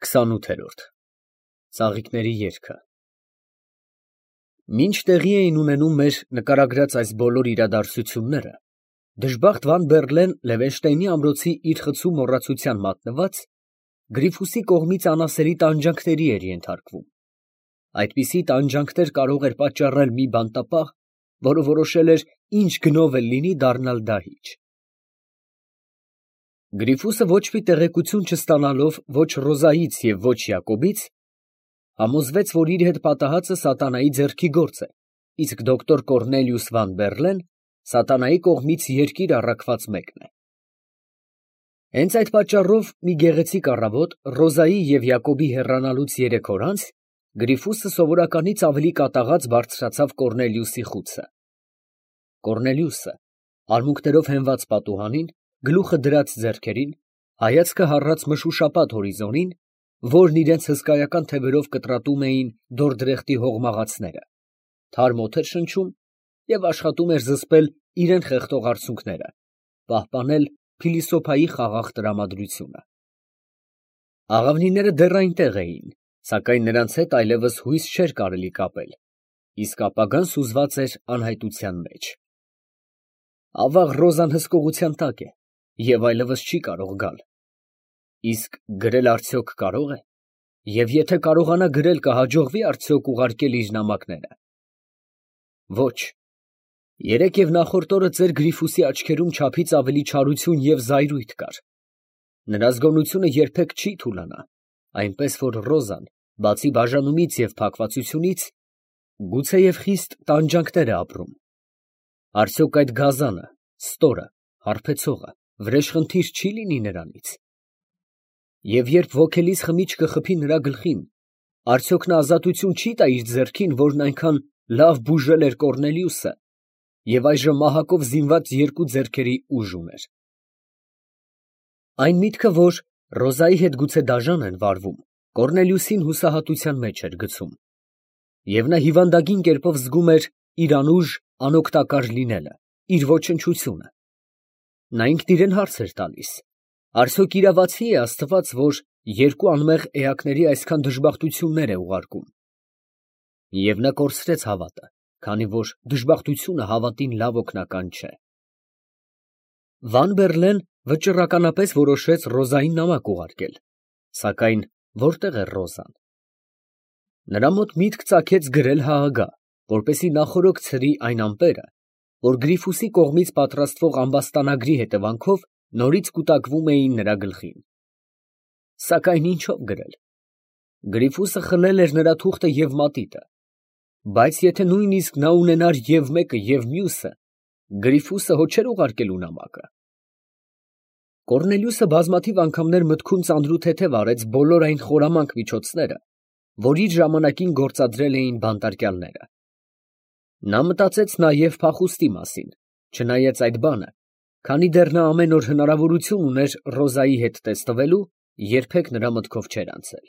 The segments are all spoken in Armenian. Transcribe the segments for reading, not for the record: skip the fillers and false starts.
28-րդ Ծաղիկների երգը Մինչ տեղի էին ունենում մեր նկարագրած այս բոլոր իրադարձությունները, դժբախտ Վան Բեռլեն Լևենշտեյնի ամրոցի իր խցու մոռացության մատնված, Գրիֆուսի կողմից անասելի տանջանքների էր ենթարկվում։ Այդպիսի տանջանքներ կարող էր պատճառել մի բանտապահ, որը որոշել էր ինչ գնով էլ լինի դառնալ դահիճ։ Գրիֆուսը ոչ մի տեղեկություն չստանալով ոչ Ռոզայից և ոչ Յակոբից, համոզվեց, որ իր հետ պատահածը սատանայի ձեռքի գործ է, իսկ դոկտոր Կոռնելիուս Վան Բեռլեն սատանայի կողմից երկիր առաքված մեկն է։ Հենց այդ պատճառով մի գեղեցիկ առավոտ Ռոզայի և Յակոբի հեռանալուց 3 օր անց Գրիֆուսը սովորականից ավելի կատաղած բարձրացավ Կոռնելիուսի խուցը։ Կոռնելիուսը, արմունկներով հենված պատուհանին, գլուխը դրած ձեռքերին, հայացքը հառած մշուշապատ հորիզոնին, որն իրենց հսկայական թևերով կտրատում էին դորդրեխտի հողմաղացները, թարմ օդ էր շնչում և աշխատում էր զսպել իրան խեղդող արցունքները, պահպանել փիլիսոփայի խաղաղ տրամադրությունը։ Աղավնիները դեռ այնտեղ էին, սակայն նրանց հետ այլևս հույս չէր կարելի կապել, իսկ ապագան սուզված էր անհայտության մեջ։ Ավաղ Ռոզան հսկողության տակ է և այլևս չի կարող գալ։ Իսկ գրել արդյոք կարող է, և եթե կարողանա գրել, կհաջողվի արդյոք ուղարկել իր նամակները։ Ոչ, երեկ և նախորդ օրը ծեր Գրիֆուսի աչքերում չափից ավելի չարություն և զայրույթ կար։ Նրա զգոնությունը երբեք չի թուլանա, այնպես որ Ռոզան, բացի բաժանումից և փակվածությունից, գուցեև խիստ տանջանքներ է ապրում։ Արդյոք այդ գազանը, ստորը, հարբեցողը, վրեժխնդիր չի լինի նրանից։ Եվ երբ ոգելից խմիչքը խփի նրա գլխին, արդյոք նա ազատություն չի տա իր ձեռքին, որն այնքան լավ բուժել էր Կոռնելիուսը և այժմ մահակով զինված երկու ձեռքերի ուժ ուներ։ Այն միտքը, որ Ռոզայի հետ գուցե դաժան են վարվում, Կոռնելիուսին հուսահատության մեջ էր գցում, և նա հիվանդագին կերպով զգում էր իր անուժ, անօգտակար լինելը, իր ոչնչությունը։ Նա ինքն իրան հարց էր տալիս. արդյոք իրավացի՞ է Աստված, որ երկու անմեղ էակների այսքան դժբախտություններ է ուղարկում։ Եվ նա կորցրեց հավատը, քանի որ դժբախտությունը հավատին լավ օգնական չէ։ Վան Բեռլեն վճռականապես որոշեց Ռոզային նամակ ուղարկել, սակայն որտե՞ղ էր Ռոզան։ Նրա մոտ միտք ծագեց գրել ՀԱԳ, որպեսզի նախօրոք ցրի այն ամպերը, որ Գրիֆուսի կողմից պատրաստվող ամբաստանագրի հետևանքով նորից կուտակվում էին նրա գլխին։ Սակայն ինչով գրել։ Գրիֆուսը խլել էր նրա թուղթը և մատիտը, բայց եթե նույնիսկ նա ունենար և մեկը, և մյուսը, Գրիֆուսը հո չէր ուղարկելու նամակը։ Կոռնելիուսը բազմաթիվ անգամներ մտքում ծանրութեթև արեց բոլոր այն խորամանկ միջոցները, որ իր ժամանակին գործադրել էին բանտարկյալները։ Նա մտածեց նաև փախուստի մասին, չնայած այդ բանը, քանի դեռ նա ամեն օր հնարավորություն ուներ Ռոզայի հետ տեսնվելու, երբեք նրա մտքով չէր անցել։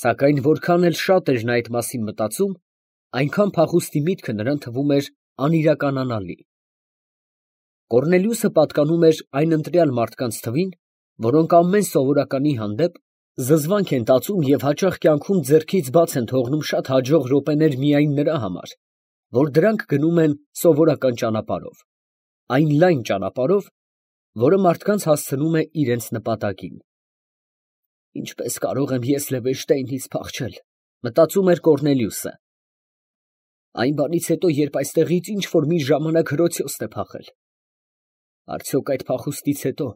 Սակայն որքան էլ շատ էր նա այդ մասին մտածում, այնքան փախուստի միտքը նրան թվում էր անիրականանալի։ Կոռնելիուսը պատկանում էր այն ընտրյալ մարդկանց թվին, որոնք ամեն սովորականի հանդեպ զզվանք են տածում և հաճախ կյանքում ձեռքից բաց են թողնում շատ հաջող րոպեներ միայն նրա համար, որ դրանք գնում են սովորական ճանապարհով, այն լայն ճանապարհով, որը մարդկանց հասցնում է իրենց նպատակին։ Ինչպես կարող եմ ես Լևենշտեյնից փախչել, մտածում էր Կոռնելիուսը։ Այն բանից հետո, երբ այստեղից ինչ որ մի ժամանակ հրոցյոց է փախել։ Արդյոք այդ փախուստից հետո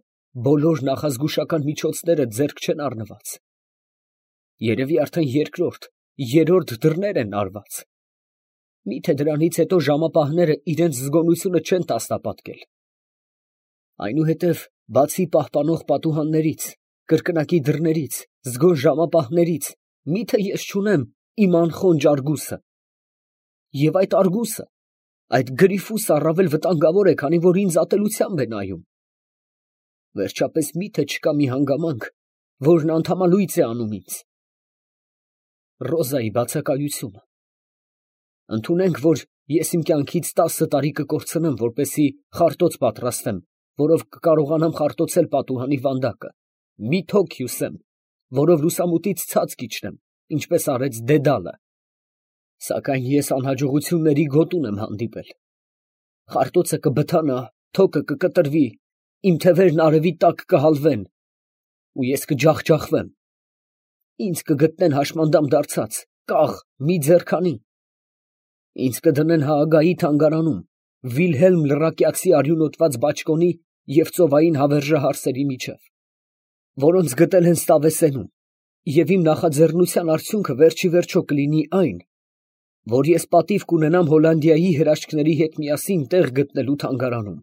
բոլոր նախազգուշական միջոցները ձեռք չեն առնված։ Երևի արդեն երկրորդ, երրորդ դռներ են արված։ Միթե դրանից հետո ժամապահները իրենց զգոնությունը չեն տասնապատկել։ Այնուհետև, բացի պահպանող պատուհաններից, կրկնակի դռներից, զգոն ժամապահներից, միթե ես չունեմ իմ անխոնջ Արգուսը։ Եվ այդ Արգուսը, այդ Գրիֆուսը առավել վտանգավոր է, քանի որ ինձ ատելությամբ է նայում։ Վերջապես միթե չկա մի հանգամանք, որն անդամալույծ է անում ինձ։ Ռոզայի բացակայությունը։ Ընդունենք, որ ես իմ կյանքից 10 տարի կկորցնեմ, որպեսզի խարտոց պատրաստեմ, որով կկարողանամ խարտոցել պատուհանի վանդակը, մի թոք հյուսեմ, որով լուսամուտից ցած կիջնեմ, ինչպես արեց Դեդալը։ Սակայն ես անհաջողությունների գոտուն եմ հանդիպել։ Խարտոցը կբթանա, թոքը կկտրվի, իմ թևերն արևի տակ կհալվեն, ու ես կջախջախվեմ։ Ինձ կգտնեն հաշմանդամ դարձած, կաղ, մի ձեռքանի։ Ինձ կդնեն Հաագայի թանգարանում, Վիլհելմ Լռակյացի արյունոտված բաճկոնի և ծովային հավերժահարսերի միջև, որոնց գտել են Ստավեսենում, և իմ նախաձեռնության արդյունքը վերջիվերջո կլինի այն, որ ես պատիվ կունենամ Հոլանդիայի հրաշքների հետ միասին տեղ գտնելու թանգարանում։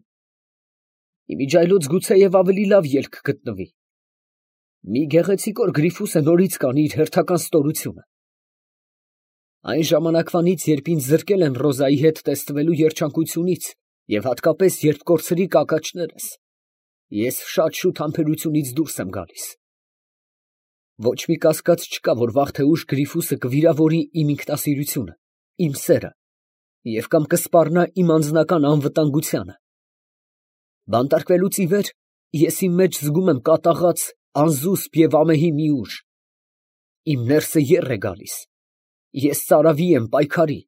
Իմիջիայլոց գուցեև ավելի լավ ելք գտնվի։ Մի գեղեցիկ օր Գրիֆուսը նորից կանի իր հերթական ստորությունը։ Այն ժամանակվանից, երբ ինձ զրկել են Ռոզայի հետ տեսնվելու երջանկությունից և հատկապես երբ կորցրի կակաչներս, ես շատ շուտ համբերությունից դուրս եմ գալիս։ Ոչ մի կասկած չկա, որ վաղ թե ուշ Գրիֆուսը կվիրավորի իմ ինքնասիրությունը, իմ սերը և կամ կսպառնա իմ անձնական անվտանգությանը։ Բանտարկվելուց ի վեր ես իմ մեջ զգում եմ կատաղած, անզուսպ և ամեհի մի ուժ։ Իմ ներսը եռ է գալիս։ Ես ծարավի եմ, պայքարի։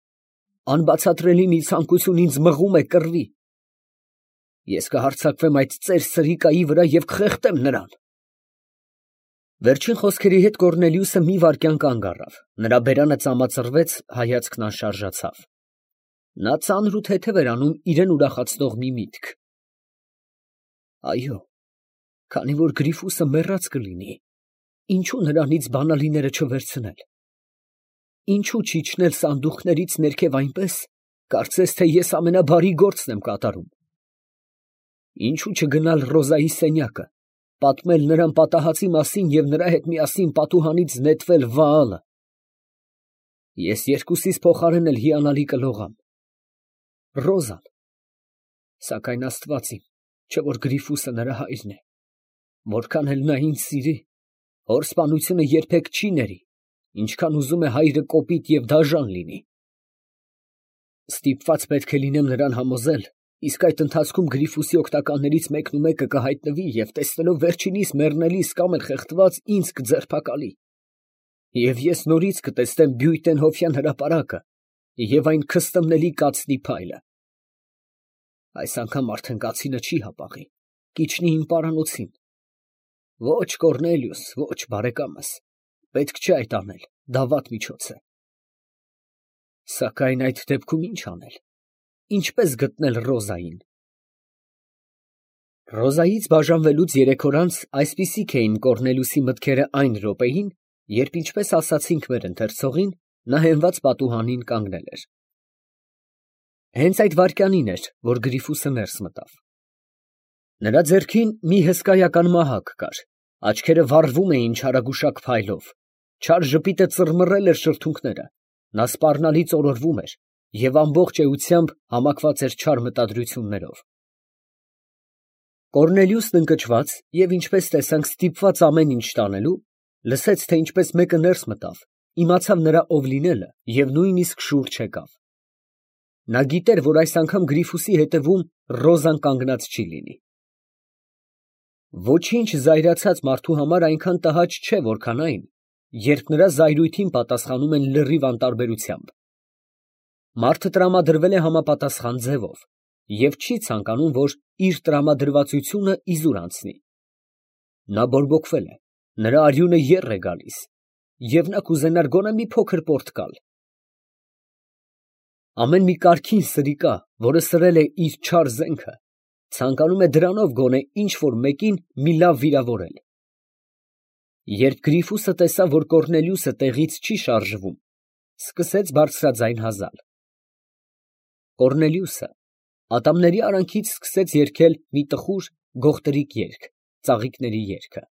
Անբացատրելի մի ցանկություն ինձ մղում է կռվի։ Ես կհարձակվեմ այդ ծեր սրիկայի վրա և կխեղդեմ նրան։ Վերջին խոսքերի հետ Կոռնելիուսը մի վայրկյան կանգ առավ, նրա բերանը ծամածրվեց, հայացքն անշարժացավ։ Նա ծանր ու թեթև էր անում իրան ուրախացնող մի միտք։ Այո, քանի որ Գրիֆուսը մեռած կլինի, ինչու նրանից բանալիները չվերցնել։ Ինչու չիջնել սանդուղքներից ներքև այնպես, կարծես թե ես ամենաբարի գործն եմ կատարում։ Ինչու չգնալ Ռոզայի սենյակը, պատմել նրան պատահածի մասին և նրա հետ միասին պատուհանից նետվել Վաալը։ Ես երկուսիս փոխարեն էլ հիանալի կլողամ։ Ռոզան։ Սակայն Աստված իմ, չէ որ Գրիֆուսը նրա հայրն է, որքան էլ նա ինձ սիրի, հոր սպանությունը երբեք չի ների, ինչքան ուզում է հայրը կոպիտ և դաժան լինի։ Ստիպված պետք է լինեմ նրան համոզել, իսկ այդ ընթացքում Գրիֆուսի օգնականներից մեկնումեկը կհայտնվի և տեսնելով վերջինիս մեռնելիս կամ էլ խեղդված ինձ կձերբակալի։ Եվ ես նորից կտեսնեմ Բյուйтենհոֆյան հրապարակը և այն քստմնելի կացնի փայլը։ Այս անգամ արդեն կացինը չի հապաղի, կիջնի իմ պարանոցին։ Ոչ, Կոռնելիուս, ոչ, բարեկամս, պետք չէ այդ անել, դա վատ միջոց է։ Սակայն այդ դեպքում ինչ անել, ինչպես գտնել Ռոզային։ Ռոզայից բաժանվելուց 3 օր անց այսպիսիք էին Կոռնելիուսի մտքերը այն րոպեին, երբ, ինչպես ասացինք մեր ընթերցողին, նա հենված պատուհանին կանգնել էր։ Հենց այդ վայրկյանին էր, որ Գրիֆուսը ներս մտավ։ Նրա ձեռքին մի հսկայական մահակ կար, աչքերը վառվում էին չարագուշակ փայլով, չար ժպիտը ծռմռել էր շրթունքները, նա սպառնալից օրորվում էր և ամբողջ էությամբ համակված էր չար մտադրություններով։ Կոռնելիուսն ընկճված և, ինչպես տեսանք, ստիպված ամեն ինչ տանելու, լսեց, թե ինչպես մեկը ներս մտավ, իմացավ նրա ով լինելը և նույնիսկ շուռ չեկավ։ Նա գիտեր, որ այս անգամ Գրիֆուսի հետևում Ռոզան կանգնած չի լինի։ Ոչինչ զայրացած մարդու համար այնքան տհաճ չէ, որքան այն, երբ նրա զայրույթին պատասխանում են լրիվ անտարբերությամբ։ Մարդը տրամադրվել է համապատասխան ձևով և չի ցանկանում, որ իր տրամադրվածությունը իզուր անցնի։ Նա բորբոքվել է, նրա արյունը եռ է գալիս, և նա կուզենար գոնե մի փոքր պորտկալ։ Ամեն մի կարգին սրիկա, որը սրել է իր չար զենքը, ցանկանում է դրանով գոնե ինչ֊որ մեկին մի լավ վիրավորել։ Երբ Գրիֆուսը տեսավ, որ Կոռնելիուսը տեղից չի շարժվում, սկսեց բարձրաձայն հազալ։ Կոռնելիուսը ատամների արանքից սկսեց երգել մի տխուր գողտրիկ երգ, ծաղիկների երգը։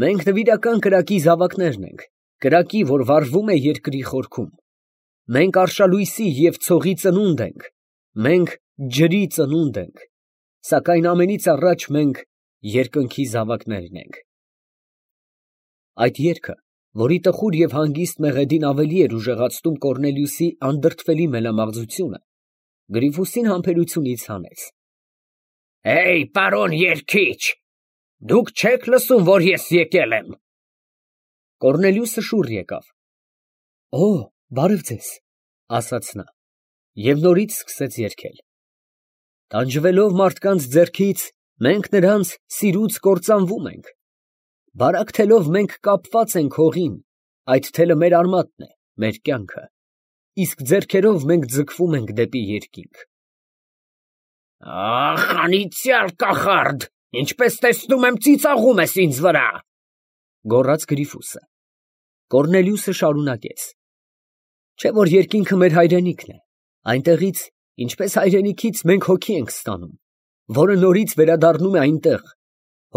Մենք նվիրական կրակի զավակներն ենք, կրակի, որ վառվում է երկրի խորքում։ Մենք արշալույսի և ցողի ծնունդ ենք, մենք ջրի ծնունդ ենք, սակայն ամենից առաջ մենք երկնքի զավակներն ենք։ Այդ երգը, որի տխուր և հանգիստ մեղեդին ավելի էր ուժեղացնում Կոռնելիուսի անդրդվելի մելամաղձությունը, Գրիֆուսին համբերությունից հանեց։ Պարոն երգիչ, դուք չե՞ք լսում, որ ես եկել եմ։ Կոռնելիուսը շուռ եկավ։ Օ, բարև ձեզ, ասաց նա, և նորից սկսեց երգել. Տանջվելով մարդկանց ձեռքից, մենք նրանց սիրուց կործանվում ենք, բարակ թելով մենք կապված ենք հողին, այդ թելը մեր արմատն է, մեր կյանքը, իսկ ձեռքերով մենք ձգվում ենք դեպի երկինք։ Ախ, անիծյալ կախարդ, ինչպես տեսնում եմ ծիծաղում ես ինձ վրա, գոռաց Գրիֆուսը։ Կոռնելիուսը շարունակեց. Չէ՞ որ երկինքը մեր հայրենիքն է, այնտեղից, ինչպես հայրենիքից մենք հոգի ենք ստանում, որը նորից վերադառնում է այնտեղ,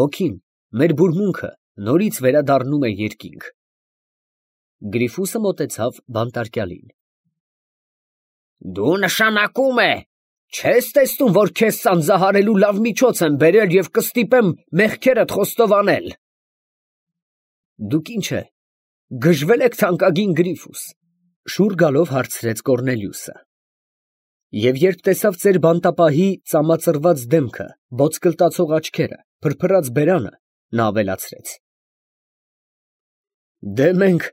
հոգին, մեր բուրմունքը, նորից վերադառնում է երկինք։ Գրիֆուսը մոտեցավ բանտարկյալին։ Դու նշանակում է, չես տեսնում, որ քեզ սանձահարելու լավ միջոց եմ բերել և կստիպեմ մեղքերդ խոստովանել։ Դուք ինչ է, գժվել եք թանկագին Գրիֆուս, շուռ գալով հարցրեց Կոռնելիուսը։ Եվ երբ տեսավ ձեր բանտապահի ծամածռված դեմքը, ոտսկլտացող աչքերը, փրփրած բերանը, նա ավելացրեց. Դե մենք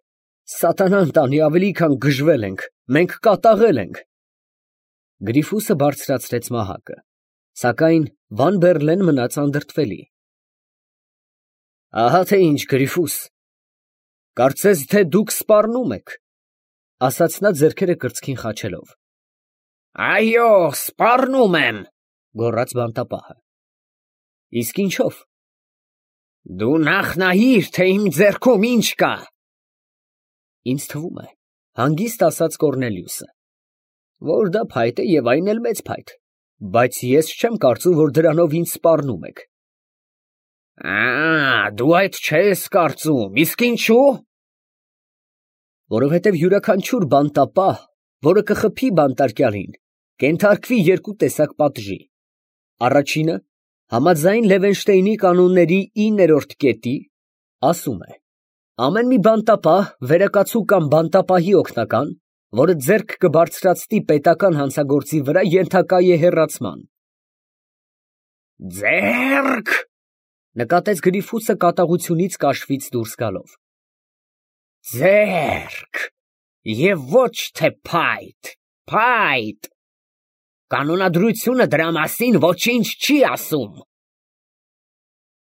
սատանան տանի ավելի քան գժվել ենք, մենք կատաղել ենք։ Գրիֆուսը բարձրացրեց մահակը, սակայն Վան Բերլեն մնաց անդրդվելի։ Ահա թե ինչ, Գրիֆուս, կարծես թե դուք սպառնում եք, ասաց նա ձեռքերը կրծքին խաչելով։ Այո, սպառնում եմ, գոռաց բանտապահը։ Իսկ ինչով։ Դու նախ նայիր, թե իմ ձեռքում ինչ կա։ Ինձ թվում է, հանգիստ ասաց Կոռնելիուսը, որ դա փայտ է և այն էլ մեծ փայտ, բայց ես չեմ կարծում, որ դրանով ինձ սպառնում եք։ Դու այդ չես կարծում, իսկ ինչու։ Որովհետև յուրաքանչյուր բանտապահ, որը կխփի բանտարկյալին, կենթարկվի երկու տեսակ պատժի. առաջինը, համաձայն Լևենշտեյնի կանոնների 9-րդ կետի, ասում է. ամեն մի բանտապահ, վերակացու կամ բանտապահի օգնական, որը ձեռք կբարձրացնի պետական հանցագործի վրա, ենթակա է հեռացման։ Ձեռք, նկատեց Գրիֆուսը կատաղությունից կաշվից դուրս գալով։ Ձեռք, և ոչ թե փայտ, փայտ։ Կանոնադրությունը դրա մասին ոչինչ չի ասում։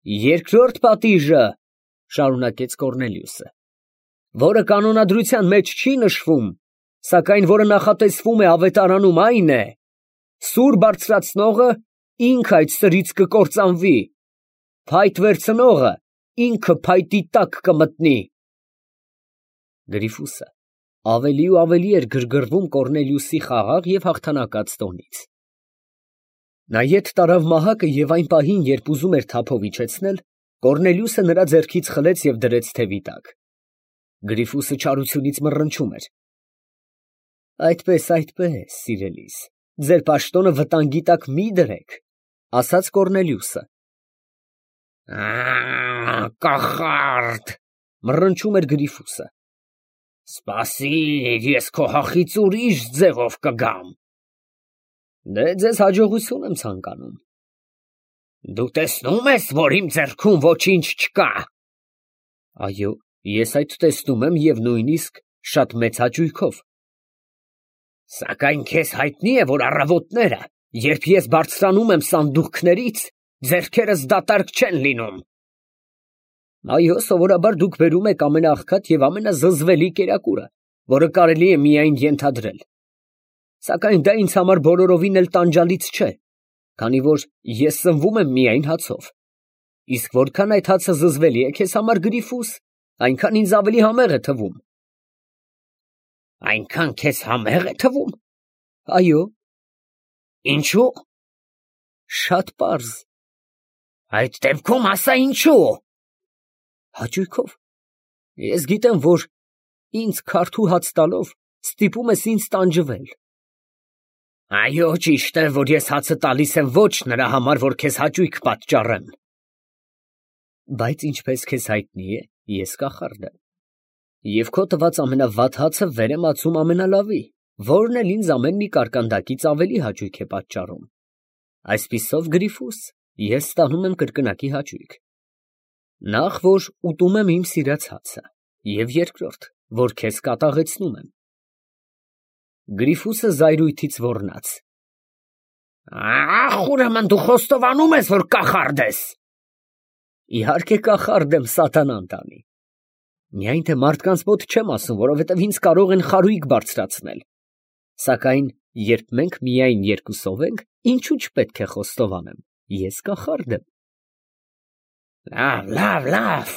Երկրորդ պատիժը, շարունակեց Կոռնելիուսը, որը կանոնադրության մեջ չի նշվում, սակայն որը նախատեսվում է ավետարանում, այն է. սուր բարձրացնողը ինքը այդ սրից կկործանվի, փայտ վերցնողը ինքը փայտի տակ կմտնի։ Գրիֆուսը ավելի ու ավելի էր գրգռվում Կոռնելիուսի խաղաղ և հաղթանակած տոնից։ Նա ետ տարավ մահակը և այն պահին, երբ ուզում էր թափով իջեցնել, Կոռնելիուսը նրա ձեռքից խլեց և դրեց թևի տակ։ Գրիֆուսը չարությունից մռնչում էր։ Այդպես, սիրելիս, ձեր պաշտոնը վտանգի տակ մի դրեք, ասաց Կոռնելիուսը։ Կախարդ, մռնչում էր Գրիֆուսը։ Սպասիր, ես քո հախից ուրիշ ձևով կգամ։ Դե ձեզ հաջողություն եմ ցանկանում։ Դու տեսնում ես, որ իմ ձեռքում ոչինչ չկա։ Այո, ես այդ տեսնում եմ և նույնիսկ շատ մեծ հաճույքով։ Սակայն քեզ հայտնի է, որ առավոտները, երբ ես բարձրանում եմ սանդուղքներից, ձեռքերս դատարկ չեն լինում։ Այո, սովորաբար դուք բերում եք ամենաաղքատ և ամենազզվելի կերակուրը, որը կարելի է միայն ենթադրել։ Սակայն դա ինձ համար բոլորովին էլ տանջալից չէ, քանի որ ես սնվում եմ միայն հացով։ Իսկ որքան այդ հացը զզվելի է քեզ համար, Գրիֆուս, այնքան ինձ ավելի համեղ է թվում։ Այնքան քեզ համեղ է թվում։ Այո։ Ինչու։ Շատ պարզ։ Այդ դեպքում ասա ինչու։ Հաճույքով։ Ես գիտեմ, որ ինձ քարթու հաց տալով ստիպում ես ինձ տանջվել։ Այո, ճիշտ է, որ ես հացը տալիս եմ ոչ նրա համար, որ քեզ հաճույք պատճառեմ։ Բայց ինչպես քեզ հայտնի է, ես կախարդ եմ։ Եվ քո տված ամենավատ հացը վեր եմ ածում ամենալավի, որն էլ ինձ ամեն մի կարկանդակից ավելի հաճույք է պատճառում։ Այսպիսով, Գրիֆուս, ես ստանում եմ կրկնակի հաճույք։ Նախ, որ ուտում եմ իմ սիրած հացը, Եվ երկրորդ, որ քեզ կատաղեցնում եմ։ Գրիֆուսը զայրույթից ոռնաց։ Ախ, ուրեմն դու խոստովանում ես, որ կախարդ ես։ Իհարկե կախարդ եմ, սատանան տանի։ Միայն թե մարդկանց մոտ չեմ ասում, որովհետև ինձ կարող են խարույկ բարձրացնել։ Սակայն երբ մենք միայն երկուսով ենք, ինչու չպետք է խոստովանեմ, ես կախարդ եմ։ Լավ,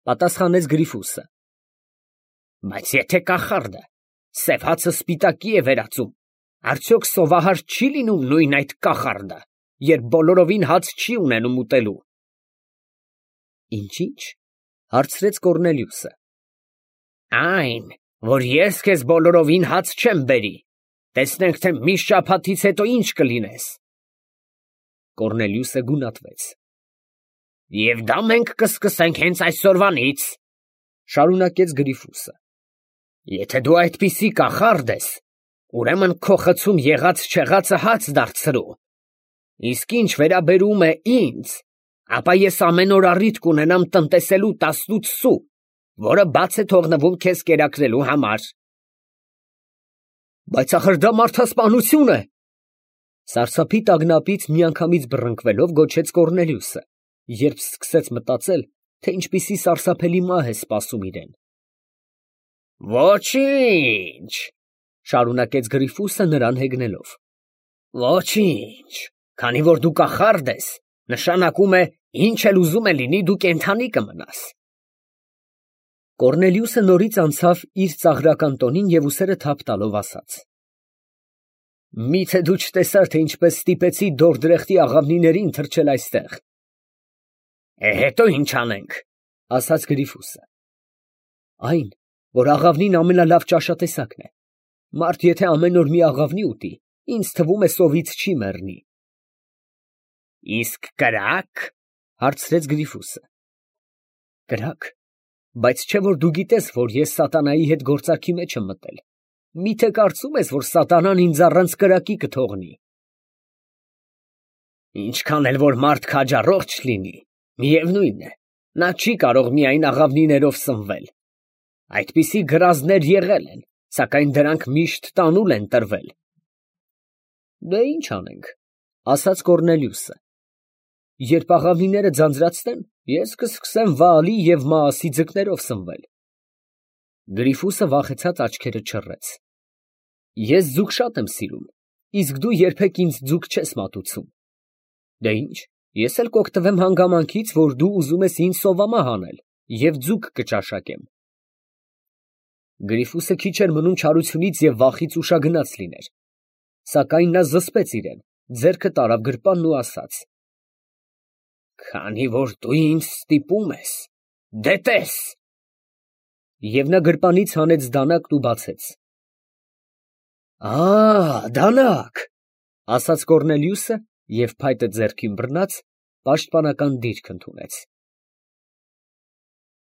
Պատասխանեց Գրիֆուսը։ բայց եթե կախարդը սև հացը սպիտակի է վերածում, արդյոք սովահար չի լինում նույն այդ կախարդը, երբ բոլորովին հաց չի ունենում ուտելու։ Ինչ, հարցրեց Կոռնելիուսը։ Այն, որ ես քեզ բոլորովին հաց չեմ բերի, տեսնենք, թե մի շաբաթից հետո ինչ կլինես։ Կոռնելիուսը գունատվեց։ Եվ դա մենք կսկսենք հենց այսօրվանից, շարունակեց Գրիֆուսը։ Եթե դու այդպիսի կախարդ ես, ուրեմն քո խցում եղած չեղածը հաց դարձրու։ Իսկ ինչ վերաբերում է ինձ, ապա ես ամեն օր առիթ կունենամ տնտեսելու 18 սու, որը բաց է թողնվում քեզ կերակրելու համար։ Բայց ախր դա մարդասպանություն է։ Սարսափի տագնապից միանգամից բռնկվելով գոչեց Կոռնելիուսը, երբ սկսեց մտածել, թե ինչպիսի սարսափելի մահ է սպասում իրեն։ Ոչինչ, շարունակեց Գրիֆուսը նրան հեգնելով։ Ոչինչ, քանի որ դու կախարդ ես, նշանակում է ինչ էլ ուզում է լինի դու կենդանի կմնաս։ Կոռնելիուսը նորից անցավ իր ծաղրական տոնին և ուսերը թափ տալով ասաց. Միթե դու չտեսար, թե ինչպես ստիպեցի դորդրեխտի աղավնիներին թռչել այստեղ։ Հետո ինչ անենք, ասաց Գրիֆուսը։ Այն, որ աղավնին ամենալավ ճաշատեսակն է։ Մարդ եթե ամեն օր մի աղավնի ուտի, ինձ թվում է սովից չի մեռնի։ Իսկ կրակ, հարցրեց Գրիֆուսը։ Կրակ, բայց չէ որ դու գիտես, որ ես սատանայի հետ գործարքի մեջ եմ մտել։ Միթե կարծում ես, որ սատանան ինձ առանց կրակի կթողնի։ Ինչքան էլ որ մարդ քաջառողջ լինի, միևնույն է, նա չի կարող միայն աղավնիներով սնվել։ Այդպիսի գրազներ եղել են, սակայն դրանք միշտ տանուլ են տրվել։ Դե ինչ անենք, ասաց Կոռնելիուսը։ Երբ աղավնիները ձանձրացնեն, ես կսկսեմ Վաալի և Մաասի ձկներով սնվել։ Գրիֆուսը վախեցած աչքերը չռեց։ Ես ձուկ շատ եմ սիրում, իսկ դու երբեք ինձ ձուկ չես մատուցում։ Դե ինչ, ես էլ կօգտվեմ հանգամանքից, որ դու ուզում ես ինձ սովամահ անել, և ձուկ կճաշակեմ։ Գրիֆուսը քիչ էր մնում չարությունից և վախից ուշագնաց լիներ, սակայն նա զսպեց իրեն, ձեռքը տարավ գրպանն ու ասաց. Քանի որ դու ինձ ստիպում ես, դե տես։ Եվ նա գրպանից հանեց դանակն ու բացեց։ Դանակ, ասաց Կոռնելիուսը և փայտը ձեռքին բռնած, պաշտպանական դիրք ընդունեց։